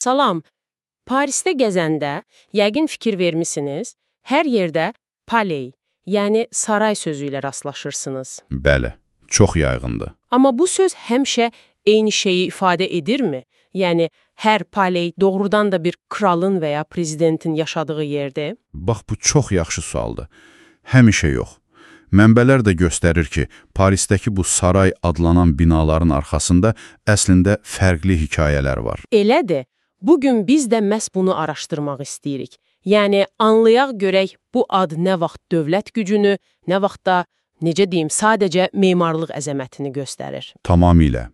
Salam, Parisdə gəzəndə, yəqin fikir vermisiniz, hər yerdə paley, yəni saray sözü ilə rastlaşırsınız. Bəli, çox yayğındır. Amma bu söz həmişə eyni şeyi ifadə edirmi? Yəni, hər paley doğrudan da bir kralın və ya prezidentin yaşadığı yerdir? Bax, bu çox yaxşı sualdır. Həmişə yox. Mənbələr də göstərir ki, Parisdəki bu saray adlanan binaların arxasında əslində fərqli hekayələr var. Elədir. Bugün biz də məhz bunu araşdırmaq istəyirik. Yəni, anlayaq görək bu ad nə vaxt dövlət gücünü, nə vaxt da, necə deyim, sadəcə memarlıq əzəmətini göstərir. Tamamilə.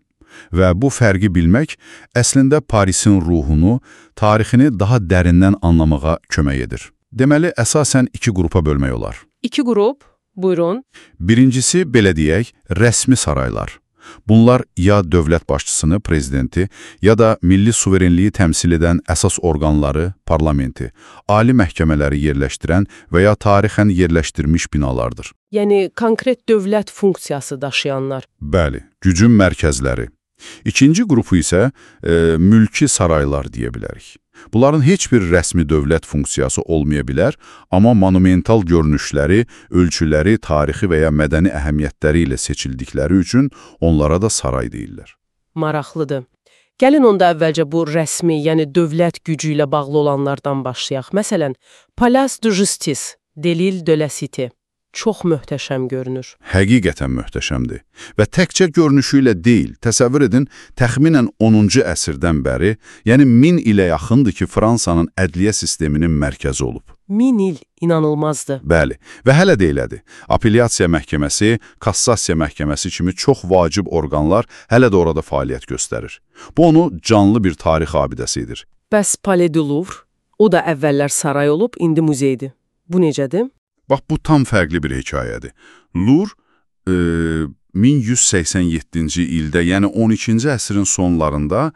Və bu fərqi bilmək əslində Parisin ruhunu, tarixini daha dərindən anlamağa kömək edir. Deməli, əsasən iki qrupa bölmək olar. İki qrup, buyurun. Birincisi, belə deyək, rəsmi saraylar. Bunlar ya dövlət başçısını, prezidenti, ya da milli suverenliyi təmsil edən əsas orqanları, parlamenti, ali məhkəmələri yerləşdirən və ya tarixən yerləşdirmiş binalardır. Yəni, konkret dövlət funksiyası daşıyanlar. Bəli, gücün mərkəzləri. İkinci qrupu isə mülki saraylar deyə bilərik. Bunların heç bir rəsmi dövlət funksiyası olmaya bilər, amma monumental görünüşləri, ölçüləri, tarixi və ya mədəni əhəmiyyətləri ilə seçildikləri üçün onlara da saray deyirlər. Maraqlıdır. Gəlin onda əvvəlcə bu rəsmi, yəni dövlət gücü ilə bağlı olanlardan başlayaq. Məsələn, Place de Justice, Delil de la Cité. Çox möhtəşəm görünür. Həqiqətən möhtəşəmdir. Və təkcə görünüşü ilə deyil, təsəvvür edin, təxminən 10-cu əsrdən bəri, yəni 1000 ilə yaxındır ki, Fransanın ədliyyə sisteminin mərkəzi olub. 1000 il, inanılmazdır. Bəli, və hələ də elədir. Apellyasiya məhkəməsi, kassasiya məhkəməsi kimi çox vacib orqanlar hələ də orada fəaliyyət göstərir. Bu onu canlı bir tarix abidəsidir. Bəs Palais du Louvre, o da əvvəllər saray olub, indi muzeydir. Bu necədir? Bax, bu tam fərqli bir hekayədir. Louvre 1187-ci ildə, yəni 12-ci əsrin sonlarında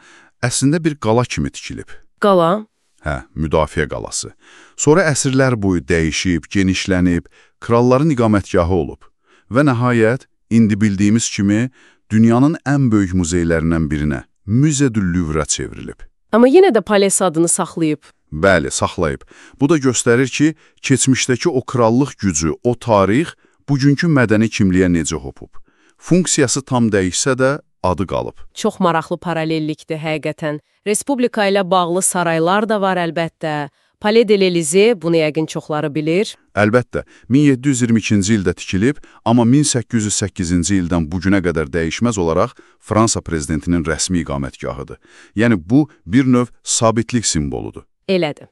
əslində bir qala kimi tikilib. Qala? Hə, müdafiə qalası. Sonra əsrlər boyu dəyişib, genişlənib, kralların iqamətgahı olub. Və nəhayət, indi bildiyimiz kimi, dünyanın ən böyük muzeylərindən birinə, Musée du Louvre çevrilib. Amma yenə də Palais adını saxlayıb. Bəli, saxlayıb. Bu da göstərir ki, keçmişdəki o krallıq gücü, o tarix, bugünkü mədəni kimliyə necə hopub. Funksiyası tam dəyişsə də adı qalıb. Çox maraqlı paralellikdir həqiqətən. Respublika ilə bağlı saraylar da var əlbəttə. Palais de l'Élysée, bunu yəqin çoxları bilir. Əlbəttə, 1722-ci ildə tikilib, amma 1808-ci ildən bugünə qədər dəyişməz olaraq Fransa prezidentinin rəsmi iqamətgahıdır. Yəni, bu bir növ sabitlik simvoludur. Elədir.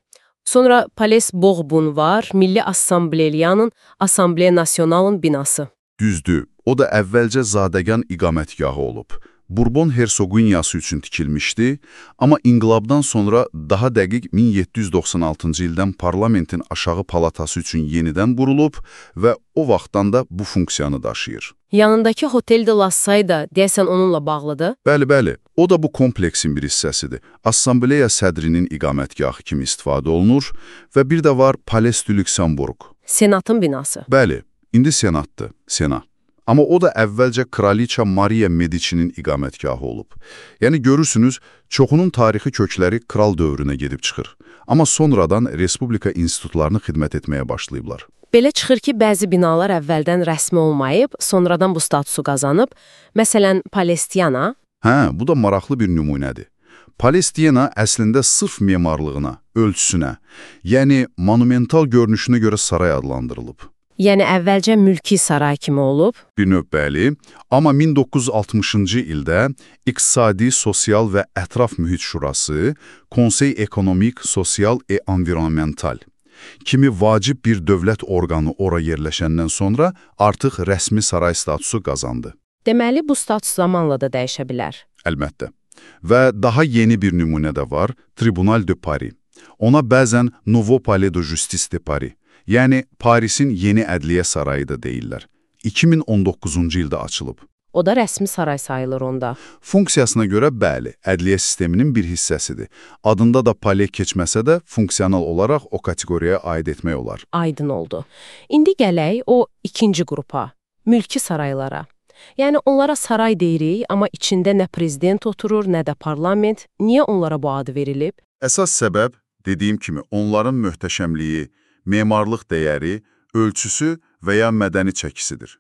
Sonra Palais Bourbon var, Milli Assambleriyanın, Assamblea Nasionalın binası. Düzdür, o da əvvəlcə zadəgan iqamətgahı olub. Bourbon hersoginyası üçün tikilmişdi, amma inqilabdan sonra daha dəqiq 1796-cı ildən parlamentin aşağı palatası üçün yenidən qurulub və o vaxtdan da bu funksiyanı daşıyır. Yanındakı Hotel de la Salle da deyəsən onunla bağlıdır. Bəli, o da bu kompleksin bir hissəsidir. Assambleya sədrinin iqamətgahı kimi istifadə olunur və bir də var Palais du Luxembourg. Senatın binası. Bəli, indi senatdır, Senat. Amma o da əvvəlcə Kraliça Maria Medici'nin iqamətgahı olub. Yəni görürsünüz, çoxunun tarixi kökləri kral dövrünə gedib çıxır. Amma sonradan respublika institutlarını xidmət etməyə başlayıblar. Belə çıxır ki, bəzi binalar əvvəldən rəsmi olmayıb, sonradan bu statusu qazanıb. Məsələn, Palestiana. Hə, bu da maraqlı bir nümunədir. Palestiana əslində sırf memarlığına, ölçüsünə, yəni monumental görünüşünə görə saray adlandırılıb. Yəni əvvəlcə mülki saray kimi olub. Bir növ bəli, amma 1960-cı ildə İqtisadi, Sosial və Ətraf Mühit Şurası, Konsey Ekonomik, Sosial və Environmental kimi vacib bir dövlət orqanı ora yerləşəndən sonra artıq rəsmi saray statusu qazandı. Deməli, bu status zamanla da dəyişə bilər. Əlbəttə. Və daha yeni bir nümunə də var, Tribunal de Paris. Ona bəzən Nouveau Palais de Justice de Paris, yəni Parisin yeni ədliyyə sarayı da deyirlər. 2019-cu ildə açılıb. O da rəsmi saray sayılır onda. Funksiyasına görə bəli, ədliyyə sisteminin bir hissəsidir. Adında da palais keçməsə də funksional olaraq o kateqoriyaya aid etmək olar. Aydın oldu. İndi gələk o ikinci qrupa, mülki saraylara. Yəni onlara saray deyirik, amma içində nə prezident oturur, nə də parlament. Niyə onlara bu adı verilib? Əsas səbəb, dediyim kimi, onların möhtəşəmliyi, memarlıq dəyəri, ölçüsü və ya mədəni çəkisidir.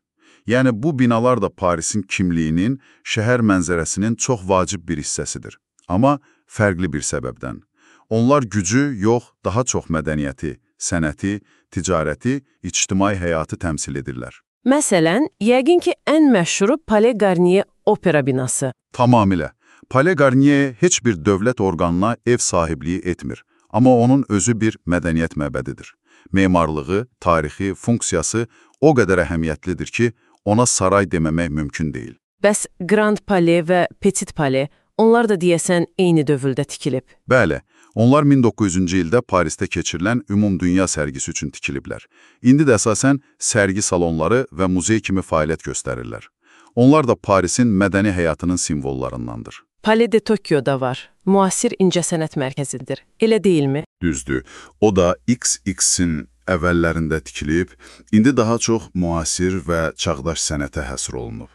Yəni, bu binalar da Parisin kimliyinin, şəhər mənzərəsinin çox vacib bir hissəsidir. Amma fərqli bir səbəbdən. Onlar gücü yox, daha çox mədəniyyəti, sənəti, ticarəti, ictimai həyatı təmsil edirlər. Məsələn, yəqin ki, ən məşhuru Palais Garnier opera binası. Tamamilə. Palais Garnier heç bir dövlət orqanına ev sahibliyi etmir, amma onun özü bir mədəniyyət məbədidir. Memarlığı, tarixi, funksiyası o qədər əhəmiyyətlidir ki, ona saray deməmək mümkün deyil. Bəs Grand Palais və Petit Palais, onlar da deyəsən eyni dövrdə tikilib. Bəli, onlar 1900-cü ildə Parisdə keçirilən Ümumdünya sərgisi üçün tikiliblər. İndi də əsasən sərgi salonları və muzey kimi fəaliyyət göstərirlər. Onlar da Parisin mədəni həyatının simvollarındandır. Palais de Tokyo'da var. Müasir incəsənət mərkəzidir. Elə deyilmi? Düzdür. O da XX-in əvvəllərində tikilib, indi daha çox müasir və çağdaş sənətə həsr olunub.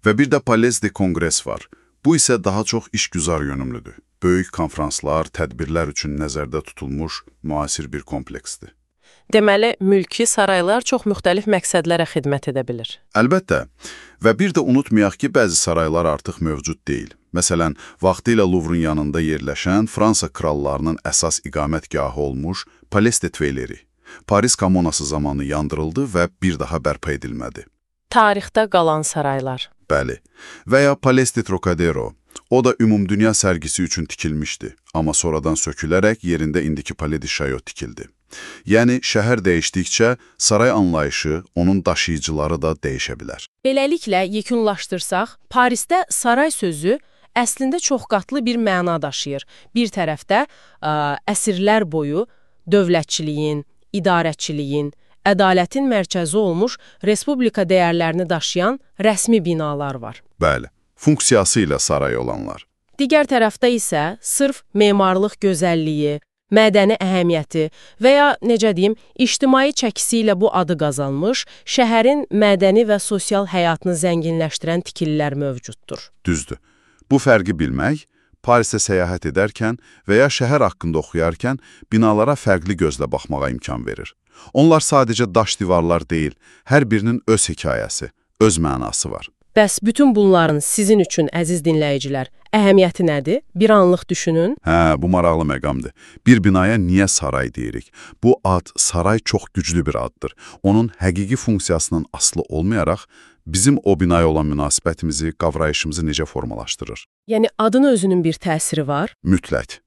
Və bir də Palais de Congrès var. Bu isə daha çox işgüzar yönümlüdür. Böyük konfranslar, tədbirlər üçün nəzərdə tutulmuş müasir bir kompleksdir. Deməli, mülki saraylar çox müxtəlif məqsədlərə xidmət edə bilir. Əlbəttə. Və bir də unutmayaq ki, bəzi saraylar artıq mövcud deyil. Məsələn, vaxtilə Louvre-un yanında yerləşən Fransa krallarının əsas iqamətgahı olmuş Palais de Tuileries. Paris kommunası zamanı yandırıldı və bir daha bərpa edilmədi. Tarixdə qalan saraylar. Bəli. Və ya Palais de Trocadero. O da Ümumdünya sərgisi üçün tikilmişdi, amma sonradan sökülərək yerində indiki Palais de Chaillot tikildi. Yəni, şəhər dəyişdikcə saray anlayışı, onun daşıyıcıları da dəyişə bilər. Beləliklə, yekunlaşdırsaq, Parisdə saray sözü əslində çoxqatlı bir məna daşıyır. Bir tərəfdə əsrlər boyu dövlətçiliyin, idarəçiliyin, ədalətin mərkəzi olmuş respublika dəyərlərini daşıyan rəsmi binalar var. Bəli, funksiyası ilə saray olanlar. Digər tərəfdə isə sırf memarlıq gözəlliyi, mədəni əhəmiyyəti və ya, necə deyim, ictimai çəkisi ilə bu adı qazanmış, şəhərin mədəni və sosial həyatını zənginləşdirən tikililər mövcuddur. Düzdür. Bu fərqi bilmək, Parisdə səyahət edərkən və ya şəhər haqqında oxuyarkən binalara fərqli gözlə baxmağa imkan verir. Onlar sadəcə daş divarlar deyil, hər birinin öz hekayəsi, öz mənası var. Bəs bütün bunların sizin üçün, əziz dinləyicilər, əhəmiyyəti nədir? Bir anlıq düşünün. Bu maraqlı məqamdır. Bir binaya niyə saray deyirik? Bu ad, saray çox güclü bir addır. Onun həqiqi funksiyasından asılı olmayaraq, bizim o binaya olan münasibətimizi, qavrayışımızı necə formalaşdırır? Yəni, adın özünün bir təsiri var? Mütləq.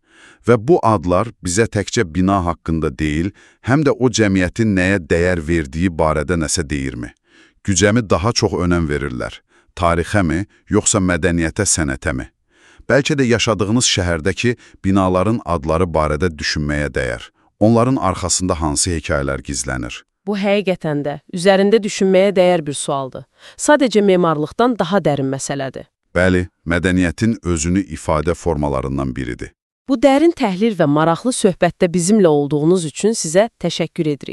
Və bu adlar bizə təkcə bina haqqında deyil, həm də o cəmiyyətin nəyə dəyər verdiyi barədə nəsə deyirmi? Gücəmi daha çox önəm verirlər. Tarixə mi, yoxsa mədəniyyətə, sənətə mi? Bəlkə də yaşadığınız şəhərdəki binaların adları barədə düşünməyə dəyər. Onların arxasında hansı hekayələr gizlənir? Bu həqiqətən də üzərində düşünməyə dəyər bir sualdır. Sadəcə memarlıqdan daha dərin məsələdir. Bəli, mədəniyyətin özünü ifadə formalarından biridir. Bu dərin təhlil və maraqlı söhbətdə bizimlə olduğunuz üçün sizə təşəkkür edirik.